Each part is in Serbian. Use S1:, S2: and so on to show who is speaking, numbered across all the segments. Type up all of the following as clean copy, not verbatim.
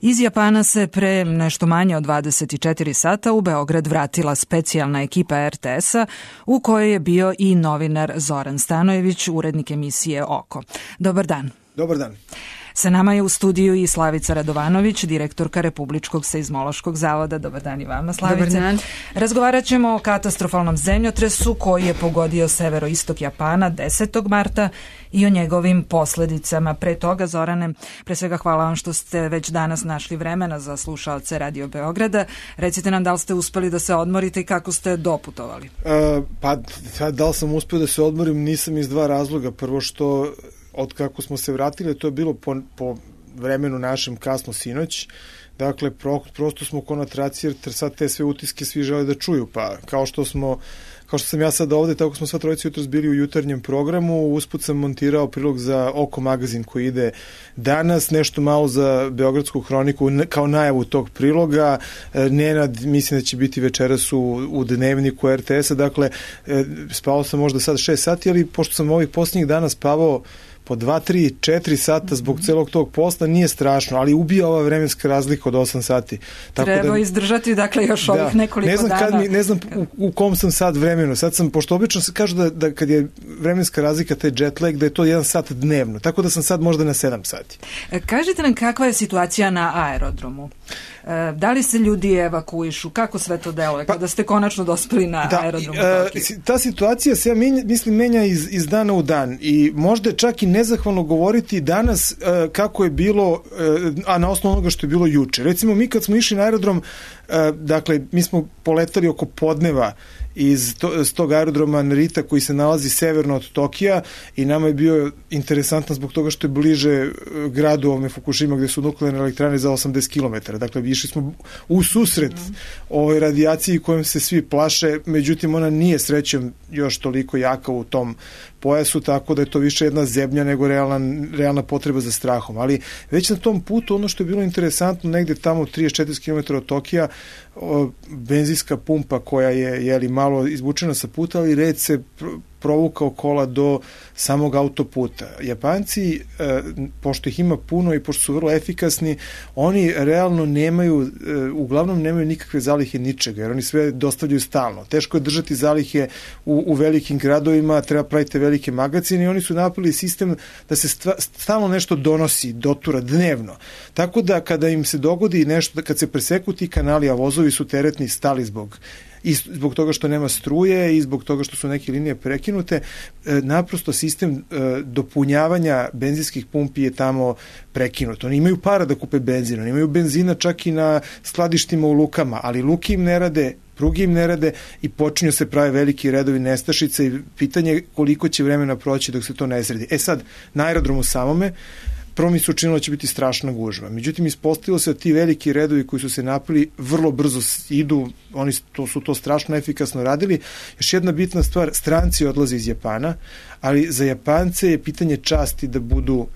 S1: Iz Japana se pre nešto manje od 24 sata u Beograd vratila specijalna ekipa RTS-a u kojoj je bio i novinar Zoran Stanojević, urednik emisije Oko. Dobar dan.
S2: Dobar dan.
S1: Sa nama je u studiju i Slavica Radovanović, direktorka Republičkog seizmološkog zavoda. Dobar dan i vama, Slavice.
S3: Dobar dan.
S1: Razgovarat ćemo o katastrofalnom zemljotresu koji je pogodio severoistok Japana 10. marta i o njegovim posledicama. Pre toga, Zorane, pre svega hvala vam što ste već danas našli vremena za slušaoce Radio Beograda. Recite nam da li ste uspeli da se odmorite i kako ste doputovali?
S2: Da li sam uspio da se odmorim, nisam iz dva razloga. Prvo što od kako smo se vratili, to je bilo po vremenu našem kasno sinoć. Dakle, prosto smo ko na traci, jer sad te sve utiske svi žele da čuju. Pa kao što sam ja sad ovde, tako smo sva trojica jutros bili u jutarnjem programu. Usput sam montirao prilog za Oko magazin koji ide danas, nešto malo za Beogradsku hroniku kao najavu tog priloga. Nenad, mislim da će biti večeras u dnevniku RTS-a. Dakle, spavao sam možda sad 6 sati, ali pošto sam ovih posljednjih dana spavao po 2, 3, 4 sata zbog celog tog posla, nije strašno, ali ubija ova vremenska razlika od 8 sati.
S1: Treba izdržati, dakle, još ovih nekoliko dana.
S2: Ne znam u kom sam sad vremenu. Sad sam, pošto obično se kažu da kad je vremenska razlika, taj jet lag, da je to 1 sat dnevno. Tako da sam sad možda na 7 sati.
S1: Kažite nam kakva je situacija na aerodromu? Da li se ljudi evakuišu? Kako sve to deluje kada ste konačno dospeli na aerodrom?
S2: Ta situacija se, mislim, menja iz dana u dan i možda je čak i nezahvalno govoriti danas kako je bilo, a na osnovu onoga što je bilo juče. Recimo, mi kad smo išli na aerodrom, dakle, mi smo poletali oko podneva iz tog aerodroma Narita koji se nalazi severno od Tokija i nama je bio interesantno zbog toga što je bliže gradu Fukushima gde su nuklearne elektrane za 80 km. Dakle, išli smo u susret ovoj radijaciji kojom se svi plaše, međutim ona nije srećom još toliko jaka u tom pojasu, tako da je to više jedna zebnja nego realna potreba za strahom. Ali već na tom putu ono što je bilo interesantno, negde tamo 34 km od Tokija, benzinska pumpa koja je malo izvučena sa puta, ali red se provukao kola do samog autoputa. Japanci, pošto ih ima puno i pošto su vrlo efikasni, oni realno uglavnom nemaju nikakve zalihe ničega, jer oni sve dostavljaju stalno. Teško je držati zalihe u velikim gradovima, treba praviti velike magazine i oni su napravili sistem da se stalno nešto donosi, dotura dnevno. Tako da kada im se dogodi nešto, kad se preseku ti kanali, a vozovi su teretni stali zbog toga što nema struje i zbog toga što su neke linije prekinute, naprosto sistem dopunjavanja benzinskih pumpi je tamo prekinut. Oni imaju para da kupe benzin, oni imaju benzina čak i na skladištima u lukama, ali luke im ne rade, pruge im ne rade i počinju se prave veliki redovi nestašice i pitanje je koliko će vremena proći dok se to ne sredi. Sad, na aerodromu samome, prvo mi se učinilo da će biti strašna gužva. Međutim, ispostavilo se da ti veliki redovi koji su se napili vrlo brzo idu, oni su to strašno efikasno radili. Još jedna bitna stvar, stranci odlaze iz Japana, ali za Japance je pitanje časti da budu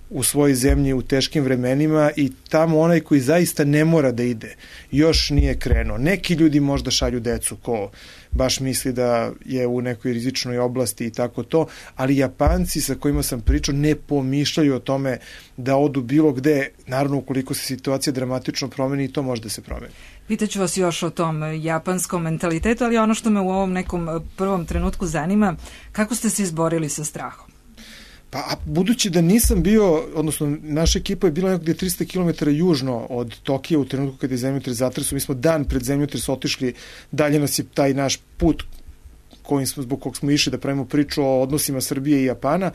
S2: u svojoj zemlji u teškim vremenima i tamo onaj koji zaista ne mora da ide još nije krenuo. Neki ljudi možda šalju decu ko baš misli da je u nekoj rizičnoj oblasti i tako to, ali Japanci sa kojima sam pričao ne pomišljaju o tome da odu bilo gde, naravno ukoliko se situacija dramatično promeni i to može da se promeni.
S1: Pitaću vas još o tom japanskom mentalitetu, ali ono što me u ovom nekom prvom trenutku zanima, kako ste se izborili sa strahom?
S2: Pa, budući da nisam bio, odnosno naša ekipa je bila nekde 300 km južno od Tokija u trenutku kada je zemljotres zatresao, mi smo dan pred zemljotres otišli, dalje nas je taj naš put zbog kog smo išli da pravimo priču o odnosima Srbije i Japana,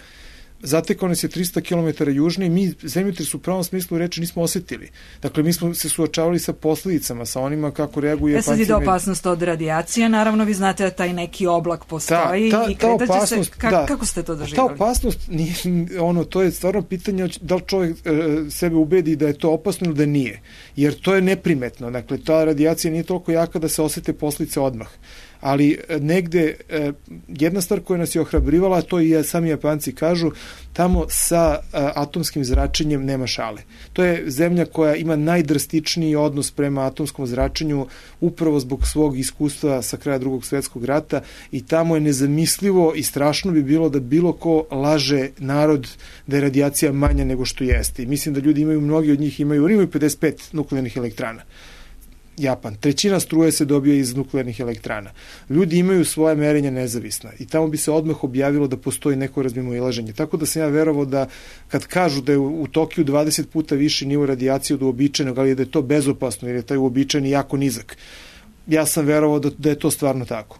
S2: zatekao nas je 300 km južno i mi zemljotres u pravom smislu reči nismo osetili. Dakle, mi smo se suočavali sa posledicama, sa onima kako reaguju Japanci.
S1: Sad ide opasnost od radijacije, naravno vi znate da taj neki oblak postoji i kretaće se. Kako ste to doživjeli?
S2: Ta opasnost, to je stvarno pitanje da li čovjek sebe ubedi da je to opasno ili da nije. Jer to je neprimetno. Dakle, ta radijacija nije toliko jaka da se osete posljedice odmah. ali negde jedna stvar koja nas je ohrabrivala, to i sami Japanci kažu, tamo sa atomskim zračenjem nema šale. To je zemlja koja ima najdrastičniji odnos prema atomskom zračenju upravo zbog svog iskustva sa kraja Drugog svjetskog rata i tamo je nezamislivo i strašno bi bilo da bilo ko laže narod da je radijacija manja nego što jeste. I mislim da ljudi imaju, mnogi od njih imaju 55 nuklearnih elektrana. Japan. 1/3 struje se dobija iz nuklearnih elektrana. Ljudi imaju svoje merenja nezavisna i tamo bi se odmah objavilo da postoji neko razmimoilaženje. Tako da sam ja verovao da kad kažu da je u Tokiju 20 puta viši nivo radijacije od uobičajenog, ali da je to bezopasno jer je taj uobičajeni jako nizak. Ja sam verovao da je to stvarno tako.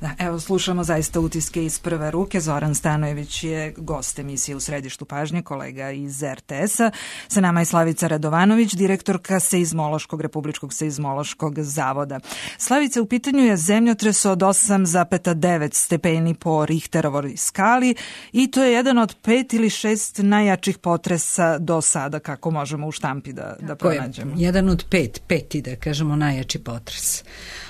S1: Da, evo, slušamo zaista utiske iz prve ruke. Zoran Stanojević je gost emisije U središtu pažnje, kolega iz RTS-a. Sa nama je Slavica Radovanović, direktorka Republičkog seizmološkog zavoda. Slavica, u pitanju je zemljotres od 8,9 stepeni po Richterovoj skali i to je jedan od 5 ili 6 najjačih potresa do sada, kako možemo u štampi da pronađemo.
S3: Jedan od peti, da kažemo, najjači potres.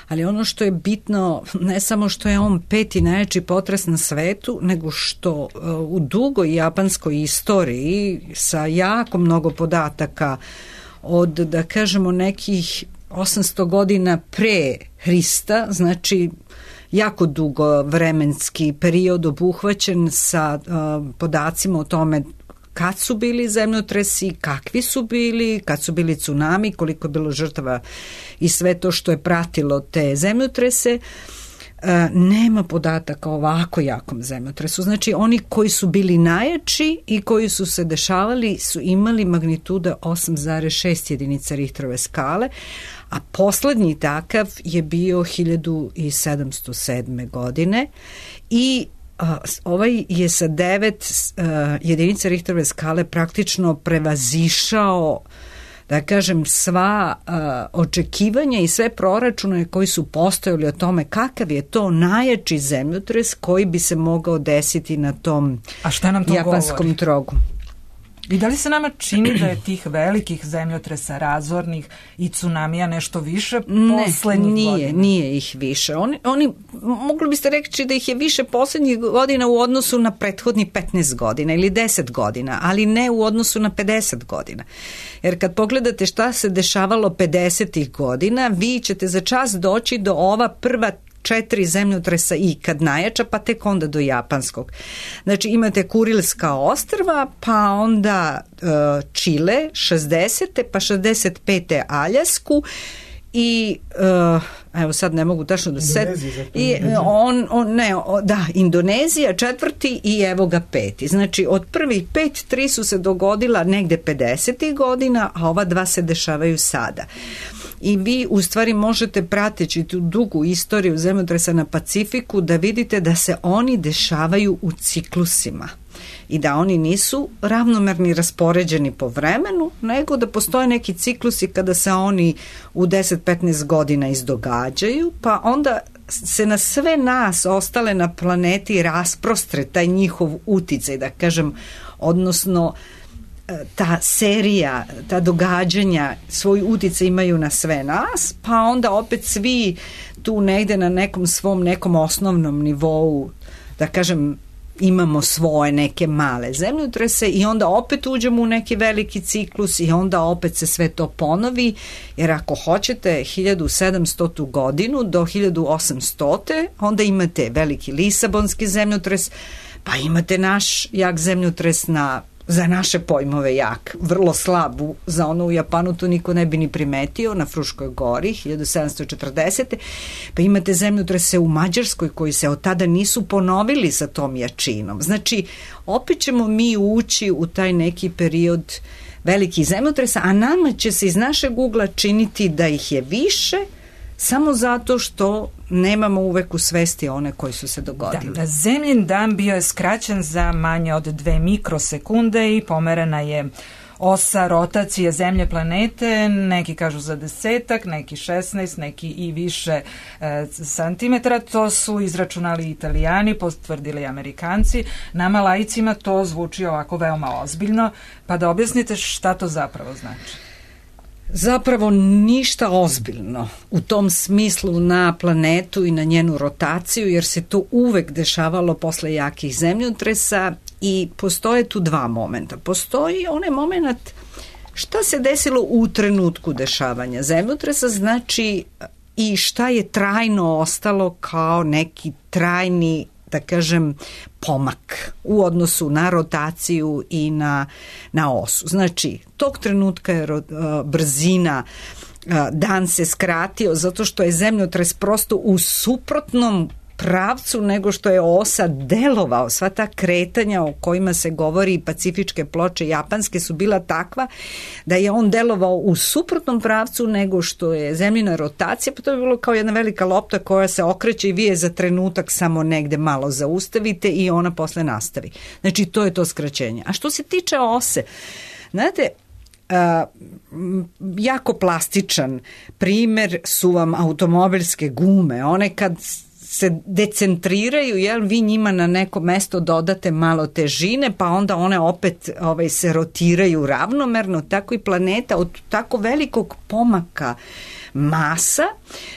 S3: Ali ono što je bitno, ne samo što je on 5. najjači potres na svetu, nego što u dugoj japanskoj istoriji sa jako mnogo podataka od, da kažemo, nekih 800 godina pre Hrista, znači jako dugo vremenski period obuhvaćen sa podacima o tome kad su bili zemljotresi, kakvi su bili, kad su bili tsunami, koliko je bilo žrtava i sve to što je pratilo te zemljotrese, nema podataka o ovako jakom zemljotresu. Znači, oni koji su bili najjači i koji su se dešavali su imali magnituda 8,6 jedinica Richterove skale, a poslednji takav je bio 1707. godine i ovaj je sa 9 jedinica Richterove skale praktično prevazišao, da kažem, sva očekivanja i sve proračune koji su postojali o tome kakav je to najjači zemljotres koji bi se mogao desiti na tom japanskom trogu.
S1: I da li se nama čini da je tih velikih zemljotresa, razornih i tsunamija nešto više poslednjih godina?
S3: Nije ih više. Oni mogli biste reći da ih je više poslednjih godina u odnosu na prethodni 15 godina ili 10 godina, ali ne u odnosu na 50 godina. Jer kad pogledate šta se dešavalo 50. godina, vi ćete za čas doći do ova prva 4 zemljotresa ikad najjača, pa tek onda do japanskog. Znači imate Kurilska ostrva, pa onda Čile 60. pa 65. Aljasku i evo sad ne mogu tačno da se Indonezija 4. i evo ga 5. Znači od prvih 5, 3 su se dogodila negde 50. godina, a ova 2 se dešavaju sada. I vi u stvari možete, prateći tu dugu istoriju zemljotresa na Pacifiku, da vidite da se oni dešavaju u ciklusima i da oni nisu ravnomerni raspoređeni po vremenu, nego da postoje neki ciklusi kada se oni u 10-15 godina izdogađaju, pa onda se na sve nas ostale na planeti rasprostre taj njihov uticaj, da kažem, odnosno ta serija, ta događanja svoj uticaj imaju na sve nas, pa onda opet svi tu negde na nekom osnovnom nivou, da kažem, imamo svoje neke male zemljotrese i onda opet uđemo u neki veliki ciklus i onda opet se sve to ponovi, jer ako hoćete 1700. godinu do 1800. onda imate veliki Lisabonski zemljotres, pa imate naš jak zemljotres za naše pojmove jak, vrlo slab, za ono u Japanu to niko ne bi ni primetio, na Fruškoj gori 1740. Pa imate zemljotrese u Mađarskoj koji se od tada nisu ponovili sa tom jačinom. Znači, opet ćemo mi ući u taj neki period velikih zemljotresa, a nama će se iz našeg ugla činiti da ih je više, samo zato što nemamo uvek u svesti one koji su se dogodili.
S1: Da, zemljin dan bio je skraćen za manje od 2 mikrosekunde i pomerena je osa rotacije zemlje planete, neki kažu za 10, neki 16, neki i više santimetara. To su izračunali Italijani, potvrdili Amerikanci. Nama laicima to zvuči ovako veoma ozbiljno, pa da objasnite šta to zapravo znači.
S3: Zapravo ništa ozbiljno u tom smislu na planetu i na njenu rotaciju, jer se to uvek dešavalo posle jakih zemljotresa i postoje tu dva momenta. Postoji onaj moment šta se desilo u trenutku dešavanja zemljotresa, znači i šta je trajno ostalo kao neki trajni, da kažem, pomak u odnosu na rotaciju i na osu. Znači, tog trenutka je brzina, dan se skratio zato što je zemljotres prosto u suprotnom pravcu nego što je osa delovao. Sva ta kretanja o kojima se govori, pacifičke ploče japanske, su bila takva da je on delovao u suprotnom pravcu nego što je zemljina rotacija, pa to je bilo kao jedna velika lopta koja se okreće i vi je za trenutak samo negde malo zaustavite i ona posle nastavi. Znači, to je to skraćenje. A što se tiče ose, znate, jako plastičan primer su vam automobilske gume. One kad se decentriraju, jel, vi njima na neko mesto dodate malo težine, pa onda one opet se rotiraju ravnomerno, tako i planeta od tako velikog pomaka masa,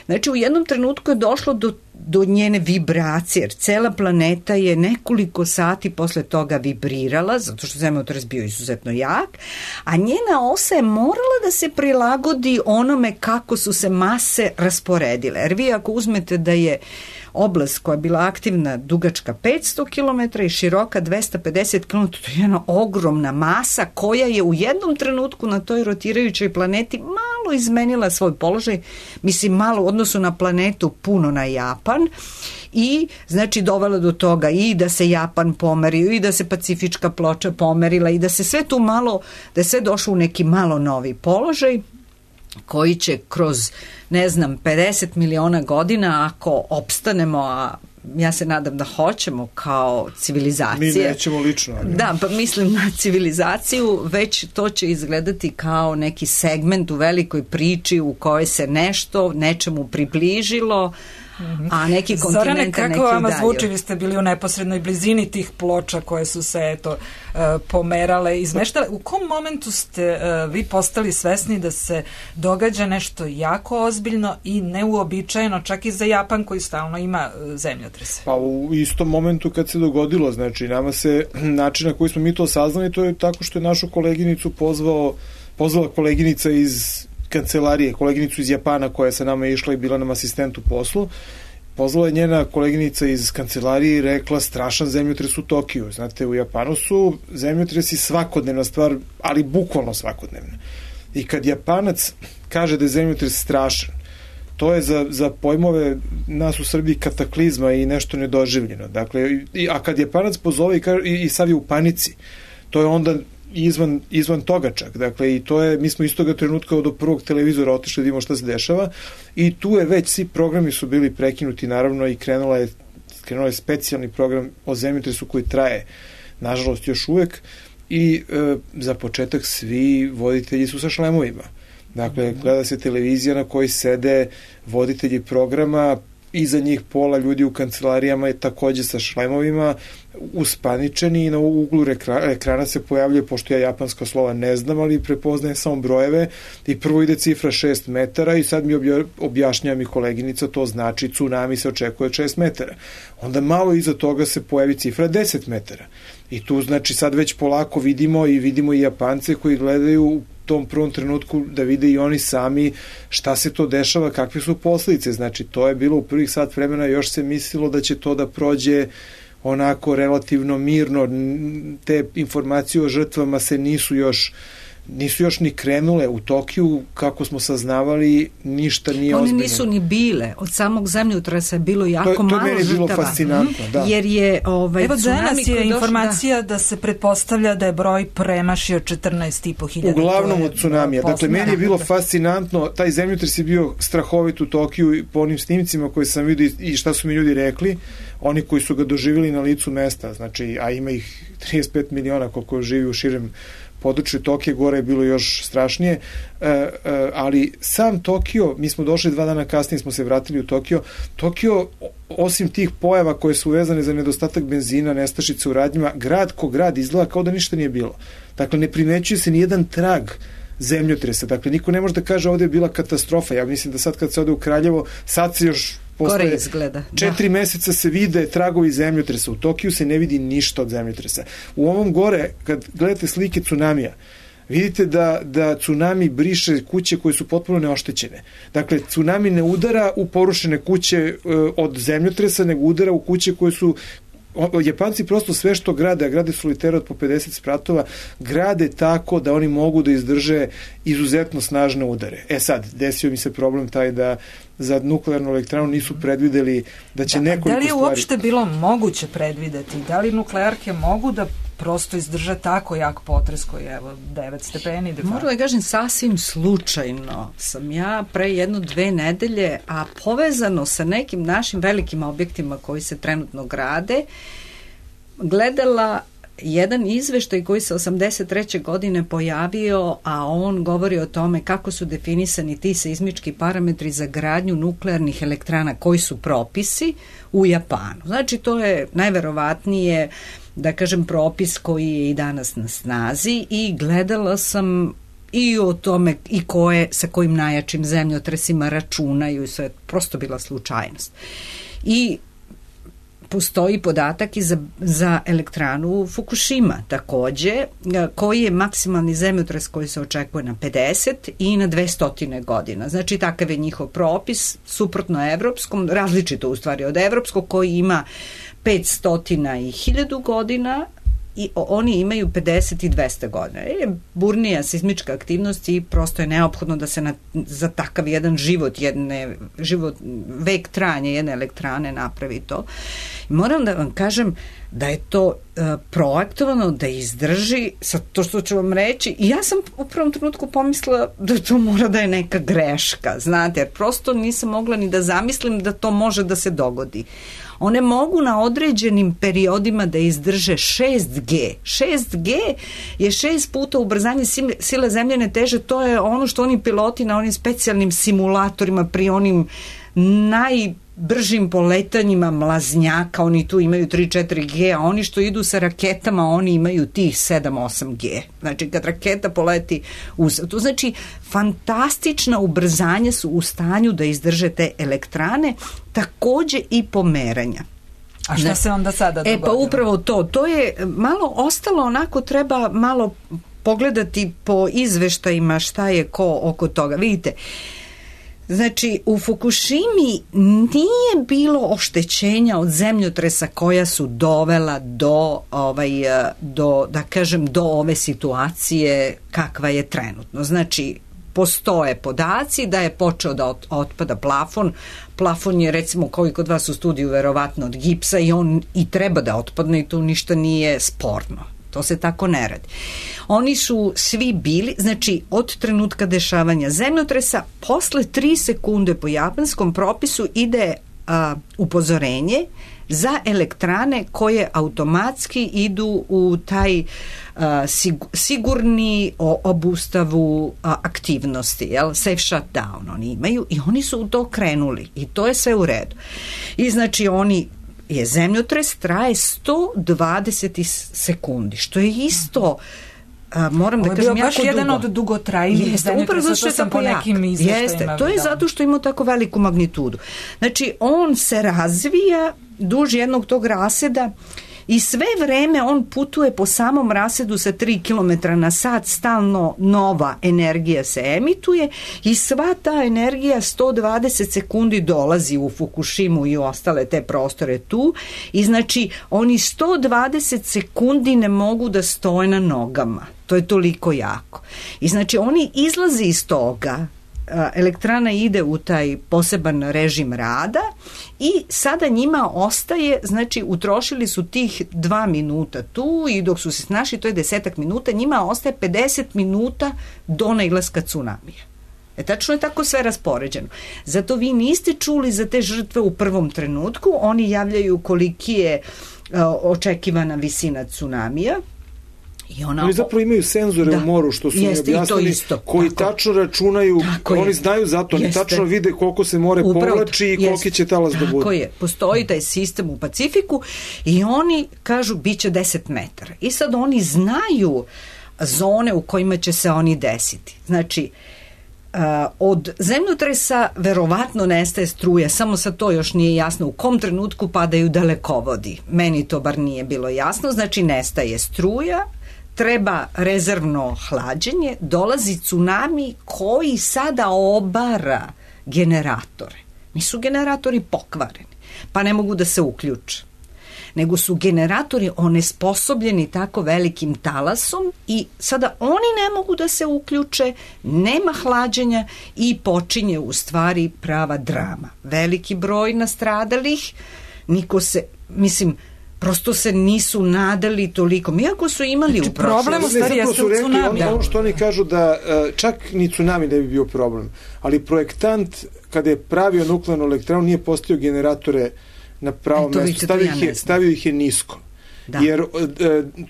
S3: znači u jednom trenutku je došlo do njene vibracije, jer cela planeta je nekoliko sati posle toga vibrirala, zato što zemljotres bio izuzetno jak, a njena osa je morala da se prilagodi onome kako su se mase rasporedile. Jer vi ako uzmete da je oblast koja je bila aktivna dugačka 500 km i široka 250 km, to je jedna ogromna masa koja je u jednom trenutku na toj rotirajućoj planeti malo izmenila svoj položaj, mislim malo u odnosu na planetu, puno na Japan, i znači dovela do toga i da se Japan pomerio i da se pacifička ploča pomerila i da se sve tu malo, da je sve došlo u neki malo novi položaj koji će kroz, ne znam, 50 miliona godina, ako opstanemo, a ja se nadam da hoćemo kao civilizacija.
S2: Mi nećemo lično. Ali.
S3: Da, pa mislim na civilizaciju, već to će izgledati kao neki segment u velikoj priči u kojoj se nešto nečemu približilo, a neki kontinent, neki
S1: Zorane, kako vama zvuči? Vi ste bili u neposrednoj blizini tih ploča koje su se pomerale, izmeštale. U kom momentu ste vi postali svesni da se događa nešto jako ozbiljno i neuobičajeno, čak i za Japan koji stalno ima zemljotrese?
S2: Pa u istom momentu kad se dogodilo, znači nama se, način na koji smo mi to saznali, to je tako što je našu koleginicu pozvala koleginica iz kancelarije, koleginicu iz Japana koja je sa nama išla i bila nam asistent u poslu. Pozvala je njena koleginica iz kancelarije i rekla strašan zemljotres u Tokiju. Znate, u Japanu su zemljotresi svakodnevna stvar, ali bukvalno svakodnevna. I kad Japanac kaže da je zemljotres strašan, to je za pojmove nas u Srbiji kataklizma i nešto nedoživljeno. Dakle, a kad Japanac pozove i sav je u panici, to je onda izvan toga čak. Dakle, i to je, mi smo iz toga trenutka do prvog televizora otišli da vidimo šta se dešava i tu je već svi programi su bili prekinuti, naravno, i krenuo je specijalni program o zemljotresu koji traje, nažalost, još uvek, i za početak svi voditelji su sa šlemovima. Dakle, gleda se televizija na kojoj sede voditelji programa, iza njih pola ljudi u kancelarijama je takođe sa šlemovima, uspaničeni, i na uglu ekrana se pojavljuje, pošto ja japanska slova ne znam, ali prepoznajem samo brojeve, i prvo ide cifra 6 metara i sad mi objašnjava mi koleginica, to znači tsunami se očekuje 6 metara. Onda malo iza toga se pojavi cifra 10 metara. I tu znači sad već polako vidimo i Japance koji gledaju u tom prvom trenutku da vide i oni sami šta se to dešava, kakve su posljedice. Znači, to je bilo u prvih sat vremena, još se mislilo da će to da prođe onako relativno mirno, te informacije o žrtvama se nisu još ni krenule. U Tokiju, kako smo saznavali, ništa nije ozbiljno.
S3: One nisu ni bile. Od samog zemljotresa je bilo jako malo žrtava. To je meni bilo
S2: fascinantno, da.
S3: Jer je
S1: evo danas je informacija da se pretpostavlja da je broj premašio 14.500.
S2: Uglavnom od tsunamija. Dakle, meni je bilo fascinantno, taj zemljotres je bio strahovit u Tokiju po onim snimcima koje sam vidio i šta su mi ljudi rekli, oni koji su ga doživjeli na licu mesta, znači, a ima ih 35 miliona koliko živi u širem području Tokije, gore je bilo još strašnije, ali sam Tokio, mi smo došli 2 dana kasnije, smo se vratili u Tokio, osim tih pojava koje su vezane za nedostatak benzina, nestašice u radnjima, grad ko grad izgleda kao da ništa nije bilo. Dakle, ne primećuje se nijedan trag zemljotresa. Dakle, niko ne može da kaže ovde je bila katastrofa. Ja mislim da sad kad se ode u Kraljevo, sad se još posle 4 meseca se vide tragovi zemljotresa. U Tokiju se ne vidi ništa od zemljotresa. U ovom gore, kad gledate slike tsunamija, vidite da tsunami briše kuće koje su potpuno neoštećene. Dakle, tsunami ne udara u porušene kuće od zemljotresa, nego udara u kuće koje su... Japanci prosto sve što grade, a grade solitere od po 50 spratova, grade tako da oni mogu da izdrže izuzetno snažne udare. Sad, desio mi se problem taj da za nuklearnu elektranu nisu predvideli da će nekoliko stvari...
S1: Da li je uopšte bilo moguće predvideti? Da li nuklearke mogu da prosto izdrže tako jak potres koji je 9 stepeni?
S3: Moram da kažem, sasvim slučajno sam ja pre 1-2 nedelje, a povezano sa nekim našim velikim objektima koji se trenutno grade, gledala jedan izveštaj koji se 83. godine pojavio, a on govori o tome kako su definisani ti seizmički parametri za gradnju nuklearnih elektrana, koji su propisi u Japanu. Znači, to je najverovatnije, da kažem, propis koji je i danas na snazi, i gledala sam i o tome i sa kojim najjačim zemljotresima računaju, i sve je prosto bila slučajnost. I postoji podatak i za elektranu Fukushima takođe, koji je maksimalni zemljotres koji se očekuje na 50 i na 200 godina. Znači, takav je njihov propis, suprotno evropskom, različito u stvari od evropskog, koji ima 500 i 1000 godina, i oni imaju 50 i 200 godina. Burnija seizmička aktivnost i prosto je neophodno da se za takav jedan vek trajanja jedne elektrane napravi to. I moram da vam kažem da je to projektovano da izdrži, sad to što ću vam reći, i ja sam u prvom trenutku pomislila da to mora da je neka greška, znate, jer prosto nisam mogla ni da zamislim da to može da se dogodi. One mogu na određenim periodima da izdrže 6G. 6G je 6 puta ubrzanje sile zemljene teže, to je ono što oni piloti na onim specijalnim simulatorima pri onim najbržim poletanjima mlaznjaka, oni tu imaju 3-4G, a oni što idu sa raketama, oni imaju tih 7-8G. Znači, kad raketa poleti to znači, fantastična ubrzanja su u stanju da izdrže te elektrane, takođe i pomeranja.
S1: A šta se onda sada dogodilo?
S3: Pa upravo to je malo ostalo onako, treba malo pogledati po izveštajima šta je ko oko toga. Vidite, znači, u Fukushimi nije bilo oštećenja od zemljotresa koja su dovela do da kažem, do ove situacije kakva je trenutno. Znači, postoje podaci da je počeo da otpada plafon. Plafon je, recimo, koji kod vas u studiju, verovatno od gipsa, i on i treba da otpadne, i tu ništa nije sporno. To se tako ne radi. Oni su svi bili, znači, od trenutka dešavanja zemljotresa, posle 3 sekunde po japanskom propisu ide upozorenje za elektrane koje automatski idu u taj sigurni obustavu aktivnosti, safe shutdown oni imaju, i oni su u to krenuli i to je sve u redu. I znači zemljotres traje 120 sekundi, što je isto moram da kažem jako dugo.
S1: Baš jedan od dugotrajnijih zemljotresa, što sam po nekim izveštajima.
S3: To je zato što ima tako veliku magnitudu. Znači, on se razvija duž jednog tog raseda i sve vreme on putuje po samom rasedu sa 3 km na sat, stalno nova energija se emituje i sva ta energija 120 sekundi dolazi u Fukushimu i u ostale te prostore tu, i znači oni 120 sekundi ne mogu da stoje na nogama. To je toliko jako. I znači oni izlaze iz toga, elektrana ide u taj poseban režim rada i sada njima ostaje, znači utrošili su tih 2 minuta tu i dok su se snašli, to je 10 minuta, njima ostaje 50 minuta do nailaska tsunamija. Tačno je tako sve raspoređeno. Zato vi niste čuli za te žrtve u prvom trenutku, oni javljaju koliki je očekivana visina tsunamija.
S2: Oni zapravo imaju senzore u moru, što su mi objasnili, koji tačno računaju, oni znaju zato, oni tačno vide koliko se more povlači i koliki će talas da bude.
S3: Tako je, postoji taj sistem u Pacifiku i oni kažu bit će 10 metara. I sad oni znaju zone u kojima će se oni desiti. Znači, od zemljotresa verovatno nestaje struja, samo sad to još nije jasno u kom trenutku padaju dalekovodi. Meni to bar nije bilo jasno, znači nestaje struja, treba rezervno hlađenje, dolazi tsunami koji sada obara generatore. Nisu generatori pokvareni, pa ne mogu da se uključe, nego su generatori onesposobljeni tako velikim talasom i sada oni ne mogu da se uključe, nema hlađenja i počinje u stvari prava drama. Veliki broj nastradalih, niko se, mislim, prosto se nisu nadali toliko. Iako su imali u
S1: problem u stvari jeste u tsunami.
S2: Ono što oni kažu da čak ni tsunami ne bi bio problem, ali projektant kada je pravio nuklearnu elektranu nije postavio generatore na pravo mesto, stavio ih je nisko. Da. Jer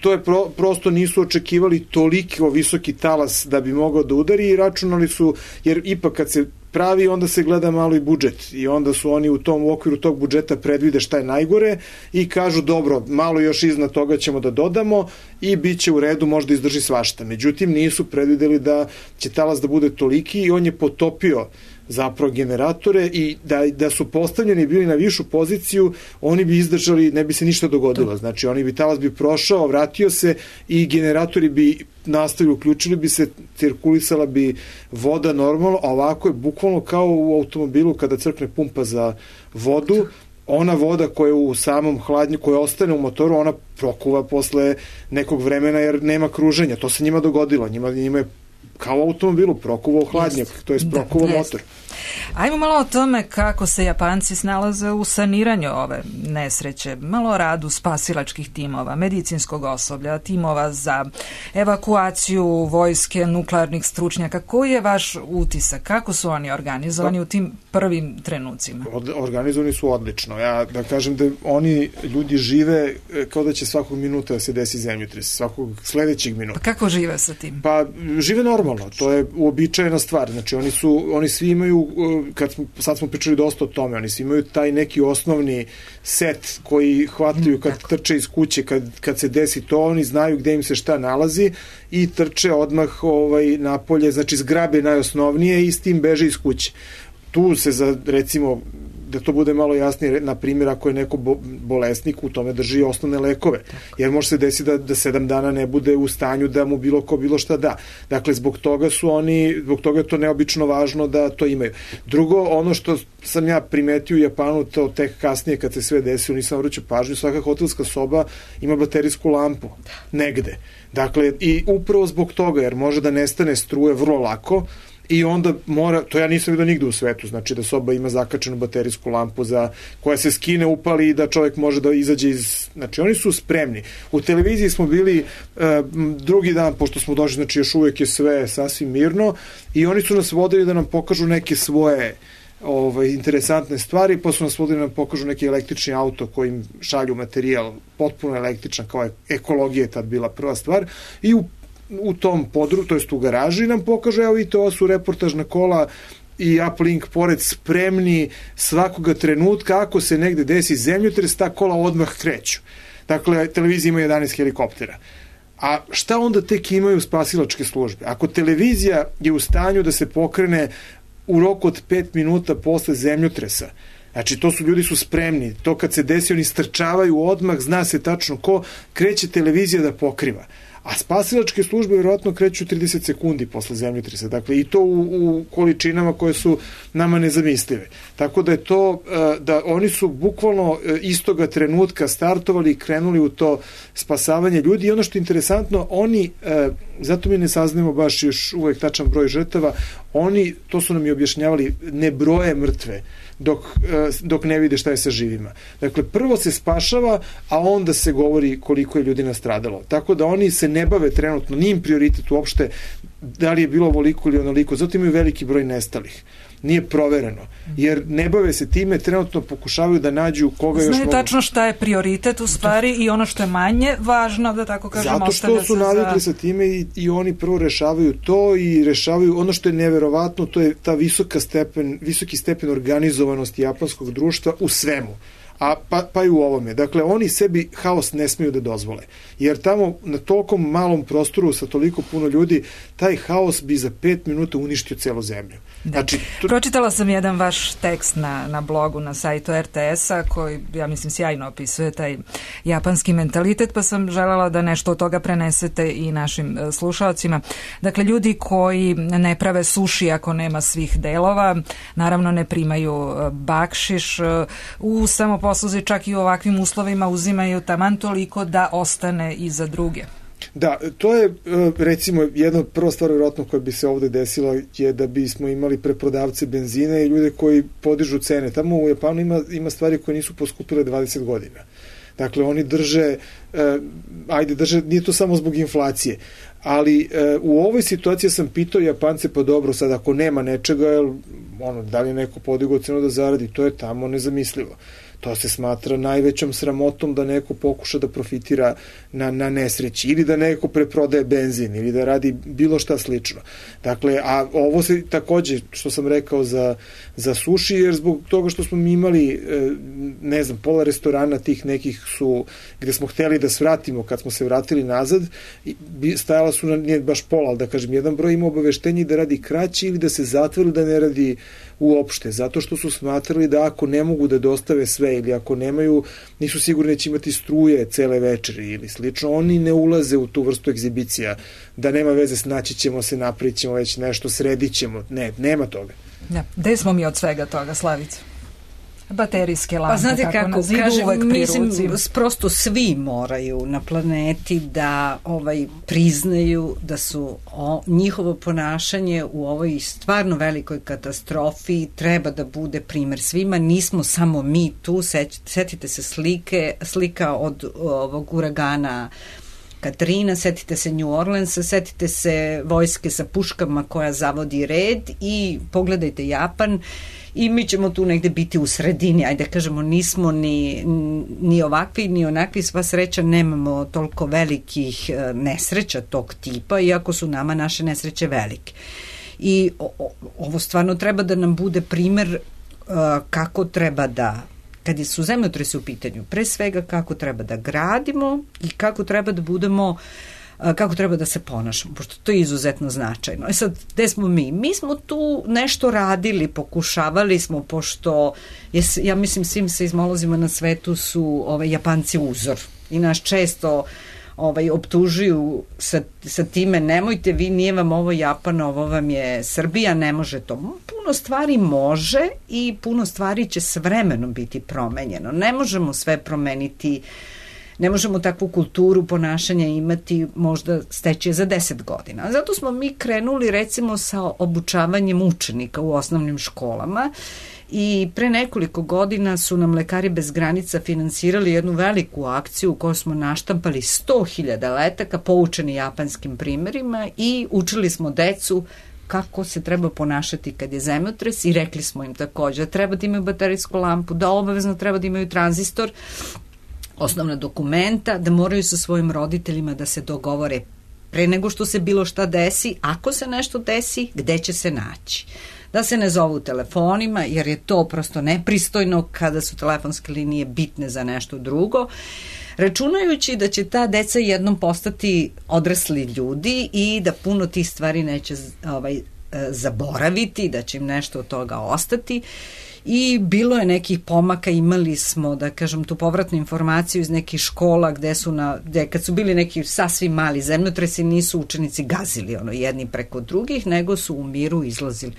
S2: to je prosto nisu očekivali toliko visoki talas da bi mogao da udari i računali su, jer ipak kad se pravi, onda se gleda malo i budžet i onda su oni u okviru tog budžeta predvide šta je najgore i kažu dobro, malo još iznad toga ćemo da dodamo i bit će u redu, možda izdrži svašta. Međutim, nisu predvideli da će talas da bude toliki i on je potopio zapravo generatore i da su postavljeni bili na višu poziciju, oni bi izdržali, ne bi se ništa dogodilo. Znači, talas bi prošao, vratio se i generatori bi nastavili, uključili bi se, cirkulisala bi voda normalno, a ovako je bukvalno kao u automobilu kada crkne pumpa za vodu, ona voda koja je u samom hladnju, koja ostane u motoru, ona prokuva posle nekog vremena jer nema kruženja. To se njima dogodilo. Njima je kao u automobilu prokuvao hladnjak, to je prokuvao motor.
S1: Ajmo malo o tome kako se Japanci snalaze u saniranju ove nesreće, malo o radu spasilačkih timova, medicinskog osoblja, timova za evakuaciju vojske, nuklearnih stručnjaka. Koji je vaš utisak? Kako su oni organizovani u tim prvim trenucima?
S2: Organizovani su odlično. Ja da kažem da oni ljudi žive kao da će svakog minuta da se desi zemljotres, svakog sledećeg minuta.
S1: Pa kako žive sa tim?
S2: Pa žive normalno, to je uobičajena stvar. Znači oni svi imaju, sad smo pričali dosta o tome, oni svi imaju taj neki osnovni set koji hvataju kad trče iz kuće, kad se desi to, oni znaju gde im se šta nalazi i trče odmah napolje, znači zgrabe najosnovnije i s tim beže iz kuće. Tu se recimo, da to bude malo jasnije, na primjer, ako je neko bolesnik, u tome drži osnovne lekove, jer može se desiti da 7 dana ne bude u stanju da mu bilo šta da. Dakle, zbog toga je to neobično važno da to imaju. Drugo, ono što sam ja primetio u Japanu, to tek kasnije kad se sve desilo, nisam vraćao pažnju, svaka hotelska soba ima baterijsku lampu negde. Dakle, i upravo zbog toga, jer može da nestane struje vrlo lako, i onda to ja nisam vidio nigde u svetu, znači da soba ima zakačenu baterijsku lampu koja se skine, upali i da čovjek može da izađe znači oni su spremni. U televiziji smo bili drugi dan, pošto smo došli, znači još uvijek je sve sasvim mirno i oni su nas vodili da nam pokažu neke svoje interesantne stvari, pa su nas vodili da nam pokažu neki električni auto kojim šalju materijal, potpuno električan, kao ekologija je tad bila prva stvar, i u tom području, to jest u garaži nam pokaže, evo vidite, ovo su reportažna kola i uplink pored spremni svakoga trenutka, ako se negde desi zemljotres, ta kola odmah kreću. Dakle, televizija ima 11 helikoptera. A šta onda tek imaju spasilačke službe? Ako televizija je u stanju da se pokrene u roku od 5 minuta posle zemljotresa, znači ljudi su spremni, to kad se desi oni strčavaju odmah, zna se tačno ko, kreće televizija da pokriva. A spasilačke službe vjerojatno kreću 30 sekundi posle zemljotresa. Dakle, i to u količinama koje su nama nezamislive. Tako da je to, da oni su bukvalno istoga trenutka startovali i krenuli u to spasavanje ljudi. I ono što je interesantno, oni, zato mi ne saznamo baš još uvek tačan broj žrtava, oni, to su nam i objašnjavali, ne broje mrtve dok ne vide šta je sa živima. Dakle, prvo se spašava, a onda se govori koliko je ljudi nastradalo. Tako da oni se ne bave trenutno, nije im prioritet uopšte da li je bilo ovoliko ili onoliko, zato imaju veliki broj nestalih. Nije provereno, jer ne bave se time, trenutno pokušavaju da nađu koga još mogu.
S1: Znaju tačno šta je prioritet u stvari i ono što je manje važno, da tako kažem,
S2: zato što su navikli sa time i oni prvo rešavaju to i rešavaju ono što je neverovatno, to je ta visoki stepen organizovanosti japanskog društva u svemu. pa i u ovome. Dakle, oni sebi haos ne smiju da dozvole. Jer tamo na tolikom malom prostoru sa toliko puno ljudi, taj haos bi za 5 minuta uništio celu zemlju.
S1: Znači, pročitala sam jedan vaš tekst na blogu, na sajtu RTS-a, koji, ja mislim, sjajno opisuje taj japanski mentalitet, pa sam želela da nešto od toga prenesete i našim slušalcima. Dakle, ljudi koji ne prave suši ako nema svih delova, naravno ne primaju bakšiš, u samoposluzi čak i u ovakvim uslovima uzimaju taman toliko da ostane i za druge.
S2: Da, to je recimo jedna prva stvar vjerojatno koja bi se ovde desila je da bismo imali preprodavce benzina i ljude koji podižu cene. Tamo u Japanu ima stvari koje nisu poskupile 20 godina. Dakle, oni drže, nije to samo zbog inflacije, ali u ovoj situaciji sam pitao Japance, pa dobro, sad ako nema nečega, da li je neko podigao cenu da zaradi, to je tamo nezamislivo. To se smatra najvećom sramotom da neko pokuša da profitira na nesreći ili da neko preprodaje benzin ili da radi bilo šta slično. Dakle, a ovo se takođe, što sam rekao za suši, jer zbog toga što smo mi imali, ne znam, pola restorana tih nekih su, gde smo hteli da svratimo, kad smo se vratili nazad, stajala su, nije baš pola, ali da kažem, jedan broj ima obaveštenje da radi kraće ili da se zatvori, da ne radi uopšte, zato što su smatrali da ako ne mogu da dostave sve ili ako nemaju, nisu sigurni da će imati struje cele večeri ili slično, oni ne ulaze u tu vrstu egzibicija, da nema veze, snaći ćemo se, napravit ćemo već nešto, sredit ćemo, nema toga.
S1: Da, gde smo mi od svega toga, Slavica? Baterijske lampe,
S3: pa znate kako
S1: na zidu, uvek pri ruci.
S3: Mislim, prosto svi moraju na planeti da priznaju da su njihovo ponašanje u ovoj stvarno velikoj katastrofi treba da bude primer svima. Nismo samo mi tu, setite se slika od ovog uragana Katrina, setite se New Orleansa, setite se vojske sa puškama koja zavodi red i pogledajte Japan i mi ćemo tu negde biti u sredini, ajde kažemo, nismo ni ovakvi ni onakvi, sva sreća nemamo toliko velikih nesreća tog tipa, iako su nama naše nesreće velike. I ovo stvarno treba da nam bude primer kako treba da, kad su zemljotresi u pitanju, pre svega kako treba da gradimo i kako treba da budemo, kako treba da se ponašamo, pošto to je izuzetno značajno. Sad, gde smo mi? Mi smo tu nešto radili, pokušavali smo, pošto ja mislim svim seizmolozima na svetu su Japanci uzor i nas često optužuju sa time, nemojte vi, nije vam ovo Japan, ovo vam je Srbija, ne može to. Puno stvari može i puno stvari će s vremenom biti promenjeno. Ne možemo sve promeniti, ne možemo takvu kulturu ponašanja imati, možda steći za 10 godina. Zato smo mi krenuli recimo sa obučavanjem učenika u osnovnim školama i pre nekoliko godina su nam Lekari bez granica finansirali jednu veliku akciju u kojoj smo naštampali 100.000 letaka poučeni japanskim primerima i učili smo decu kako se treba ponašati kad je zemljotres i rekli smo im takođe da treba da imaju baterijsku lampu, da obavezno treba da imaju tranzistor, osnovna dokumenta, da moraju sa svojim roditeljima da se dogovore pre nego što se bilo šta desi, ako se nešto desi, gde će se naći. Da se ne zovu telefonima, jer je to prosto nepristojno kada su telefonske linije bitne za nešto drugo, računajući da će ta deca jednom postati odrasli ljudi i da puno tih stvari neće zaboraviti, da će im nešto od toga ostati. I bilo je nekih pomaka, imali smo, da kažem, tu povratnu informaciju iz nekih škola gde kad su bili neki sasvim mali zemljotresi, nisu učenici gazili jedni preko drugih, nego su u miru izlazili.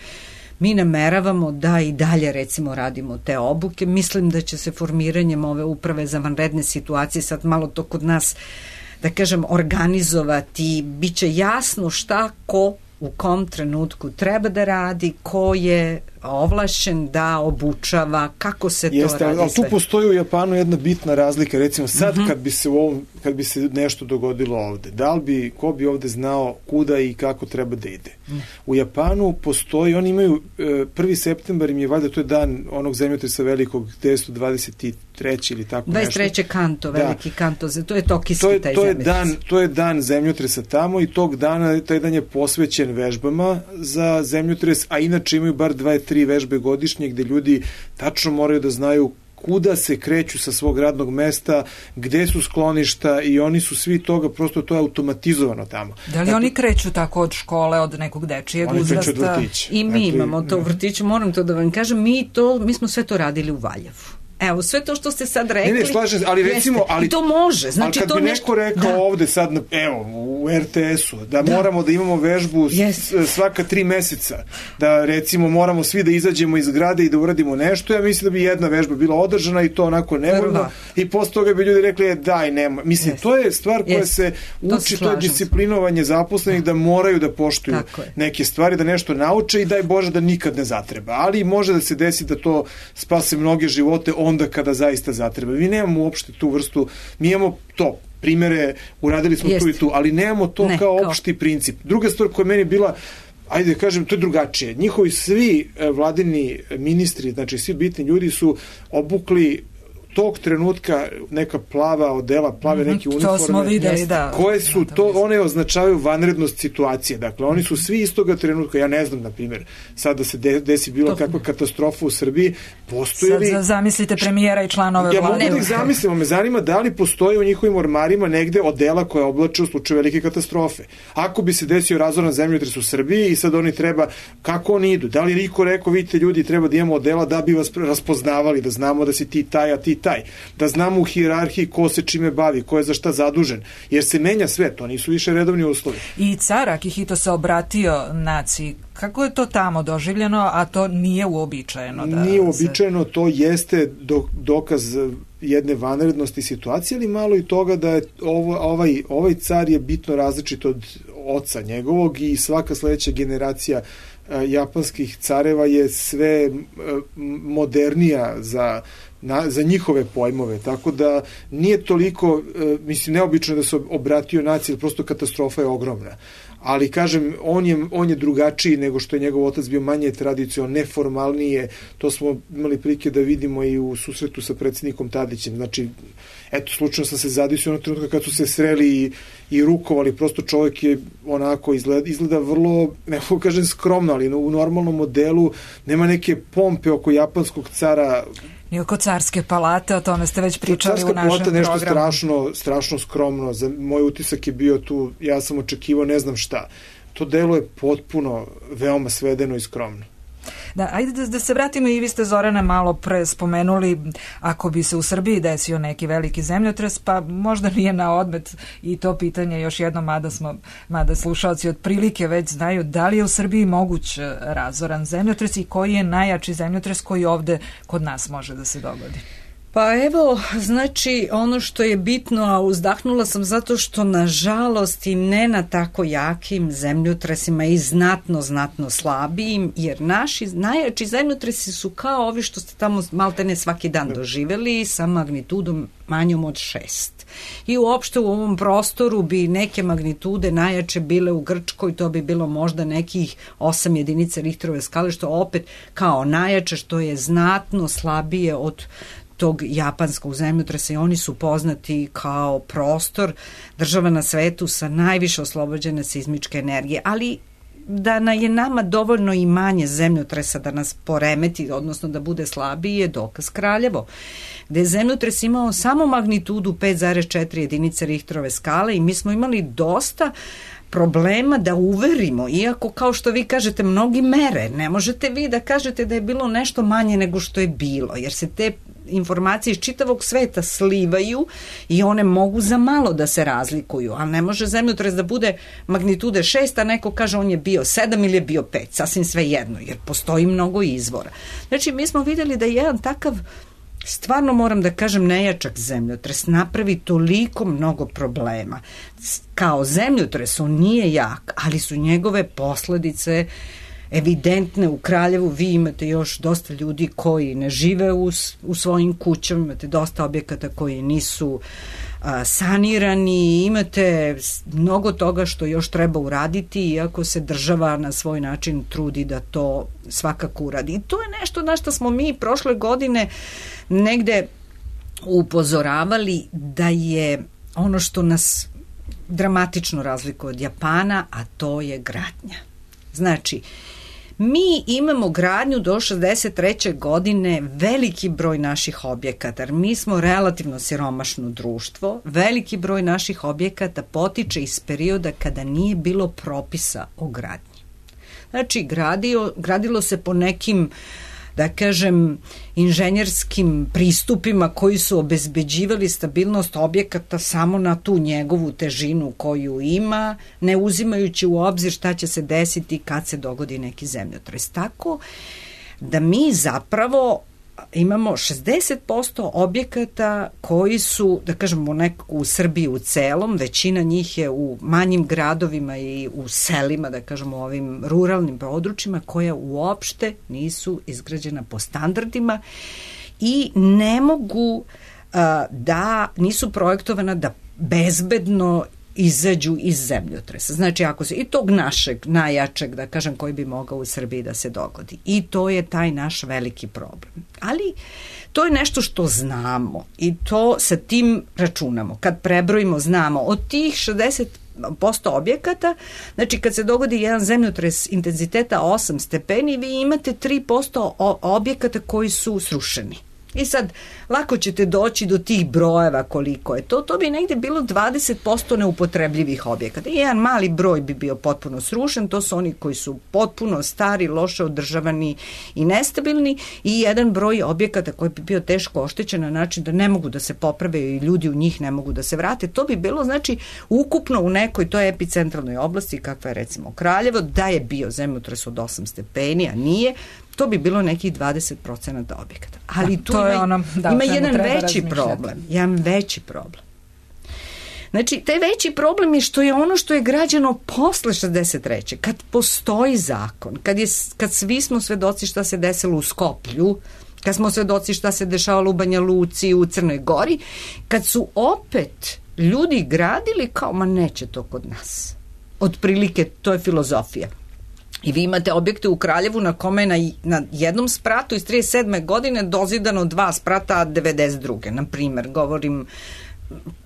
S3: Mi nameravamo da i dalje recimo radimo te obuke. Mislim da će se formiranjem ove uprave za vanredne situacije sad malo to kod nas, da kažem, organizovati. Biće jasno šta ko u kom trenutku treba da radi, ko je ovlašćen da obučava, kako se to radi.
S2: Ali tu postoji u Japanu jedna bitna razlika, recimo sad kad bi se nešto dogodilo ovde, ko bi ovde znao kuda i kako treba da ide. U Japanu postoji, oni imaju 1. septembar im je valjda, to je dan onog zemljotresa velikog, 1923 ili tako nešto.
S3: 23. kanto, veliki kanto, to je tokijski taj zemljotres.
S2: To je dan zemljotresa tamo i taj dan je posvećen vežbama za zemljotres, a inače imaju bar 2-3 vežbe godišnje gde ljudi tačno moraju da znaju kuda se kreću sa svog radnog mesta, gde su skloništa i oni su svi toga, prosto to je automatizovano tamo.
S1: Da li oni kreću tako od škole, od nekog dečijeg uzrasta?
S2: Oni kreću od vrtića.
S3: I mi imamo to u vrtiću, moram to da vam kažem, mi smo sve to radili u Valjevu. Evo, sve to što ste sad rekli...
S2: Ne, slažem, ali recimo...
S3: I to može. Znači,
S2: ali kad bi neko rekao ovde sad, evo, u RTS-u, da moramo da imamo vežbu svaka 3 meseca, da recimo moramo svi da izađemo iz zgrade i da uradimo nešto, ja mislim da bi jedna vežba bila održana i to onako nevoljno i posle toga bi ljudi rekli, daj, nema. Mislim, to je stvar koja se uči, to je disciplinovanje zaposlenih da moraju da poštuju neke stvari, da nešto nauče i daj Bože da nikad ne zatreba. Ali može da se desi da to spase mnoge živote onda kada zaista zatreba. Mi nemamo uopšte tu vrstu, mi imamo to, primere, uradili smo tu i tu, ali nemamo to kao opšti princip. Druga stvar koja je meni bila, ajde da kažem, to je drugačije. Njihovi svi vladini ministri, znači svi bitni ljudi su obukli tog trenutka neka plava odela, plave neke uniforme.
S1: To smo videli, da.
S2: Koje su to, one označavaju vanrednost situacije. Dakle, oni su svi istoga trenutka, ja ne znam, na primjer, sad da se desi bilo kakva katastrofa u Srbiji, postoji li...
S1: Sad zamislite premijera i članove
S2: vlade.
S1: Ja
S2: mogu da ih zamislimo, me zanima da li postoji u njihovim ormarima negde odela koja oblače u slučaju velike katastrofe. Ako bi se desio razoran zemljotres u Srbiji i sad oni treba, kako oni idu? Da li niko rekao, vidite ljudi, treba da imamo odela da bi vas raspoznavali, da znamo da si ti taj, a ti taj, da znamo u hijerarhiji ko se čime bavi, ko je za šta zadužen, jer se menja sve, to nisu više redovni uslovi.
S1: I car Akihito se obratio naciji. Kako je to tamo doživljeno, a to nije uobičajeno?
S2: Nije uobičajeno, to jeste dokaz jedne vanrednosti situacije, ali malo i toga da je ovaj car je bitno različit od oca njegovog i svaka sledeća generacija japanskih careva je sve modernija za njihove pojmove, tako da nije toliko, mislim, neobično da se obratio naciji, prosto katastrofa je ogromna. Ali, kažem, on je drugačiji nego što je njegov otac bio, manje tradicionalno, neformalnije, to smo imali prilike da vidimo i u susretu sa predsjednikom Tadićem, znači, eto, slučajno sam se zadisio ono trenutka kad su se sreli i rukovali, prosto čovjek je onako izgleda vrlo, ne mogu kažem skromno, ali u normalnom modelu nema neke pompe oko japanskog cara.
S1: I oko carske palate, o tome ste već pričali u našem programu.
S2: Carska palata nešto strašno skromno, za moj utisak je bio tu, ja sam očekivao ne znam šta. To delo je potpuno veoma svedeno i skromno.
S1: Da, ajde da se vratimo, i vi ste, Zorana, malo pre spomenuli, ako bi se u Srbiji desio neki veliki zemljotres, pa možda nije na odmet i to pitanje još jedno, mada slušalci otprilike već znaju, da li je u Srbiji moguć razoran zemljotres i koji je najjači zemljotres koji ovde kod nas može da se dogodi?
S3: Pa evo, znači, ono što je bitno, a uzdahnula sam zato što, nažalost, i ne na tako jakim zemljotresima i znatno slabijim, jer naši najjači zemljotresi su kao ovi što ste tamo maltene svaki dan doživeli, sa magnitudom manjom od 6. I uopšte u ovom prostoru bi neke magnitude najjače bile u Grčkoj, to bi bilo možda nekih 8 jedinica Richterove skale, što opet kao najjače, što je znatno slabije od tog japanskog zemljotresa, i oni su poznati kao prostor, država na svetu sa najviše oslobođene seizmičke energije, ali da je nama dovoljno i manje zemljotresa da nas poremeti, odnosno da bude slabiji, je dokaz Kraljevo, gde je zemljotres imao samo magnitudu 5,4 jedinice Richterove skale i mi smo imali dosta problema da uverimo, iako, kao što vi kažete, mnogi mere, ne možete vi da kažete da je bilo nešto manje nego što je bilo, jer se te informacije iz čitavog sveta slivaju i one mogu za malo da se razlikuju, ali ne može zemljotres da bude magnitude 6, a neko kaže on je bio 7 ili je bio 5, sasvim sve jedno, jer postoji mnogo izvora. Znači, mi smo videli da je jedan takav, stvarno moram da kažem, nejačak zemljotres napravi toliko mnogo problema. Kao zemljotres on nije jak, ali su njegove posledice evidentne. U Kraljevu vi imate još dosta ljudi koji ne žive u svojim kućama, imate dosta objekata koji nisu sanirani, imate mnogo toga što još treba uraditi, iako se država na svoj način trudi da to svakako uradi. I to je nešto na što smo mi prošle godine negde upozoravali, da je ono što nas dramatično razlikuje od Japana, a to je gradnja. Znači, Mi imamo gradnju do 63. godine veliki broj naših objekata, jer mi smo relativno siromašno društvo, veliki broj naših objekata potiče iz perioda kada nije bilo propisa o gradnji. Znači, gradilo se po nekim, da kažem, inženjerskim pristupima koji su obezbeđivali stabilnost objekata samo na tu njegovu težinu koju ima, ne uzimajući u obzir šta će se desiti kad se dogodi neki zemljotres. Tako da mi zapravo imamo 60% objekata koji su, da kažemo, nekako u Srbiji u celom, većina njih je u manjim gradovima i u selima, da kažemo, ovim ruralnim područjima, koja uopšte nisu izgrađena po standardima i ne mogu da nisu projektovana da bezbedno izađu iz zemljotresa. Znači, ako se i tog našeg najjačeg, da kažem, koji bi mogao u Srbiji da se dogodi. I to je taj naš veliki problem. Ali to je nešto što znamo i to sa tim računamo. Kad prebrojimo, znamo od tih 60% objekata, znači kad se dogodi jedan zemljotres intenziteta 8 stepeni, vi imate 3% objekata koji su srušeni. I sad, lako ćete doći do tih brojeva koliko je to. To bi negde bilo 20% neupotrebljivih objekata. I jedan mali broj bi bio potpuno srušen, to su oni koji su potpuno stari, loše održavani i nestabilni, i jedan broj objekata koji bi bio teško oštećen na način da ne mogu da se poprave i ljudi u njih ne mogu da se vrate. To bi bilo, znači, ukupno u nekoj toj epicentralnoj oblasti, kakva je recimo Kraljevo, da je bio zemljotres od 8 stepeni, a nije, to bi bilo nekih 20% objekata. Ali tu ima jedan veći problem. Znači, taj veći problem je što je ono što je građeno posle 63. Kad postoji zakon, kad svi smo svedoci šta se desilo u Skoplju, kad smo svedoci šta se dešavalo u Banja Luci, u Crnoj Gori, kad su opet ljudi gradili kao, ma neće to kod nas. Otprilike, to je filozofija. I vi imate objekte u Kraljevu na kome je na jednom spratu iz 37. godine dozidano 2 sprata 92. Na primer, govorim,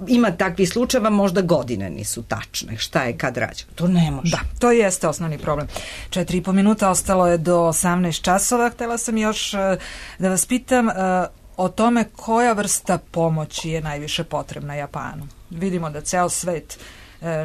S3: ima takvih slučajeva, možda godine nisu tačne, šta je kad rađeno. To ne može.
S1: Da, to jeste osnovni problem. 4,5 minuta, ostalo je do 18 časova. Htela sam još da vas pitam o tome koja vrsta pomoći je najviše potrebna Japanu. Vidimo da ceo svet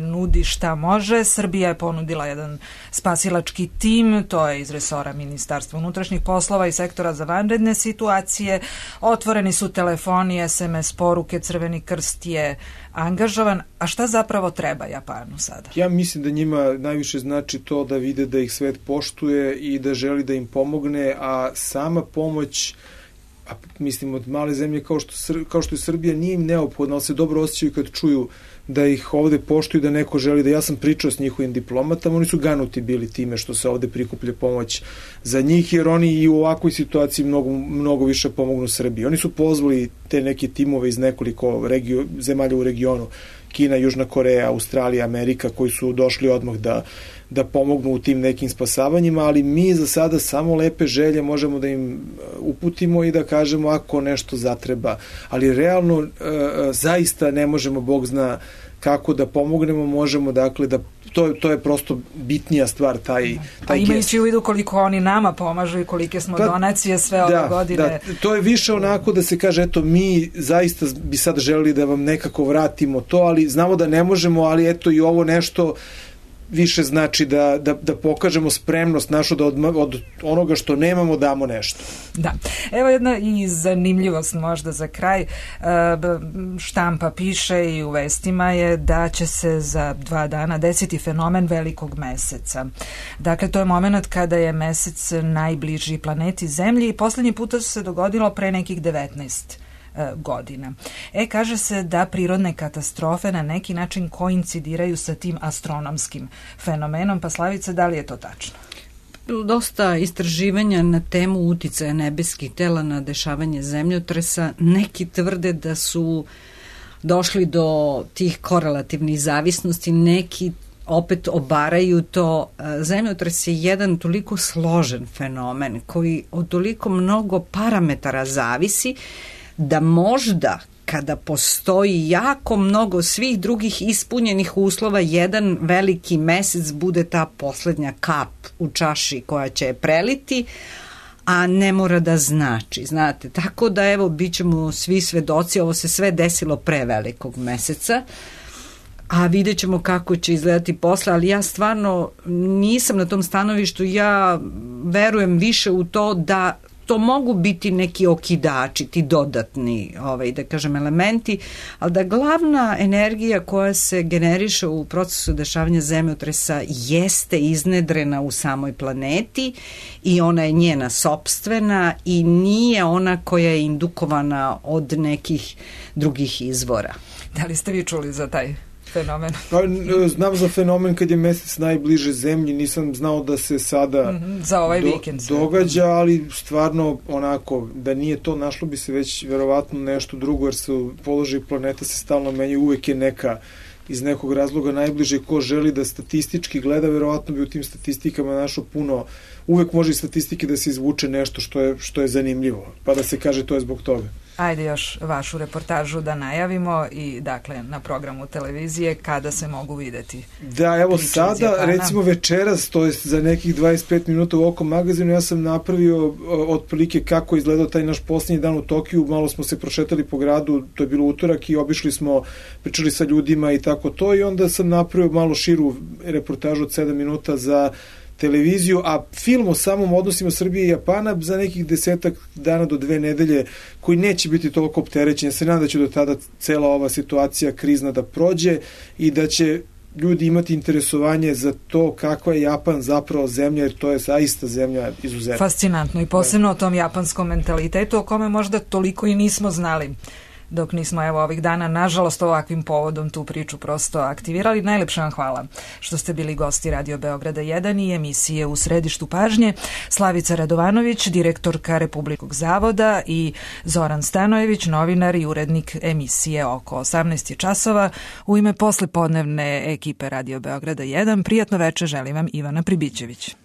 S1: nudi šta može. Srbija je ponudila jedan spasilački tim, to je iz resora Ministarstva unutrašnjih poslova i sektora za vanredne situacije. Otvoreni su telefoni, SMS poruke, Crveni krst je angažovan. A šta zapravo treba Japanu sada?
S2: Ja mislim da njima najviše znači to da vide da ih svet poštuje i da želi da im pomogne, a sama pomoć, a mislim od male zemlje kao što je Srbija, nije im neophodno, ali se dobro osjećaju kad čuju da ih ovde poštuju, da neko želi da, ja sam pričao s njihovim diplomatama, oni su ganuti bili time što se ovde prikuplja pomoć za njih, jer oni i u ovakvoj situaciji mnogo više pomognu Srbiji. Oni su pozvali te neke timove iz nekoliko zemalja u regionu, Kina, Južna Koreja, Australija, Amerika, koji su došli odmah da pomognu u tim nekim spasavanjima, ali mi za sada samo lepe želje možemo da im uputimo i da kažemo ako nešto zatreba. Ali realno zaista ne možemo, Bog zna kako da pomognemo, možemo dakle da to je prosto bitnija stvar, taj
S1: a imajući u vidu koliko oni nama pomažu i kolike smo donacije sve ove godine.
S2: Da, to je više onako da se kaže, eto, mi zaista bi sad želeli da vam nekako vratimo to, ali znamo da ne možemo, ali eto i ovo nešto više znači da pokažemo spremnost našu da od onoga što nemamo damo nešto.
S1: Da. Evo jedna i zanimljivost možda za kraj. Štampa piše i u vestima je da će se za 2 dana desiti fenomen velikog meseca. Dakle, to je moment kada je mesec najbliži planeti Zemlji i poslednji puta se dogodilo pre nekih 19 godina. Kaže se da prirodne katastrofe na neki način koincidiraju sa tim astronomskim fenomenom. Pa Slavice, da li je to tačno?
S3: Dosta istraživanja na temu uticaja nebeskih tela na dešavanje zemljotresa. Neki tvrde da su došli do tih korelativnih zavisnosti, neki opet obaraju to. Zemljotres je jedan toliko složen fenomen koji od toliko mnogo parametara zavisi da možda kada postoji jako mnogo svih drugih ispunjenih uslova, jedan veliki mesec bude ta poslednja kap u čaši koja će je preliti, a ne mora da znači, znate. Tako da, evo, bit ćemo svi svedoci, ovo se sve desilo pre velikog meseca, a vidjet ćemo kako će izgledati posle, ali ja stvarno nisam na tom stanovištu, ja verujem više u to da to mogu biti neki okidači, ti dodatni, da kažem, elementi, ali da glavna energija koja se generiše u procesu dešavanja zemljotresa jeste iznedrena u samoj planeti i ona je njena sopstvena i nije ona koja je indukovana od nekih drugih izvora.
S1: Da li ste vi čuli za taj fenomen?
S2: Pa, znam za fenomen kad je mesec najbliže zemlji, nisam znao da se sada
S1: za ovaj vikend
S2: događa, ali stvarno onako, da nije to, našlo bi se već verovatno nešto drugo, jer se položaj planeta se stalno menja, uvek je neka iz nekog razloga najbliže. Ko želi da statistički gleda, verovatno bi u tim statistikama našao puno, uvek može iz statistike da se izvuče nešto što je zanimljivo, pa da se kaže to je zbog toga.
S1: Ajde još vašu reportažu da najavimo i dakle na programu televizije kada se mogu videti.
S2: Da, evo sada, recimo večeras, to je za nekih 25 minuta u Oko magazinu, ja sam napravio otprilike kako je izgledao taj naš posljednji dan u Tokiju, malo smo se prošetali po gradu, to je bilo utorak i obišli smo, pričali sa ljudima i tako to, i onda sam napravio malo širu reportažu od 7 minuta za televiziju, a film o samom odnosima Srbije i Japana za nekih 10 dana do 2 nedelje, koji neće biti toliko opterećen. Ja se nadam da će do tada cela ova situacija krizna da prođe i da će ljudi imati interesovanje za to kakva je Japan zapravo zemlja, jer to je zaista zemlja izuzetna.
S1: Fascinantno i posebno o tom japanskom mentalitetu o kome možda toliko i nismo znali dok nismo evo ovih dana, nažalost, ovakvim povodom tu priču prosto aktivirali. Najlepše vam hvala što ste bili gosti Radio Beograda 1 i emisije U središtu pažnje. Slavica Radovanović, direktorka Republičkog zavoda, i Zoran Stanojević, novinar i urednik emisije Oko 18 časova. U ime poslepodnevne ekipe Radio Beograda 1, prijatno veče želim vam Ivana Pribićević.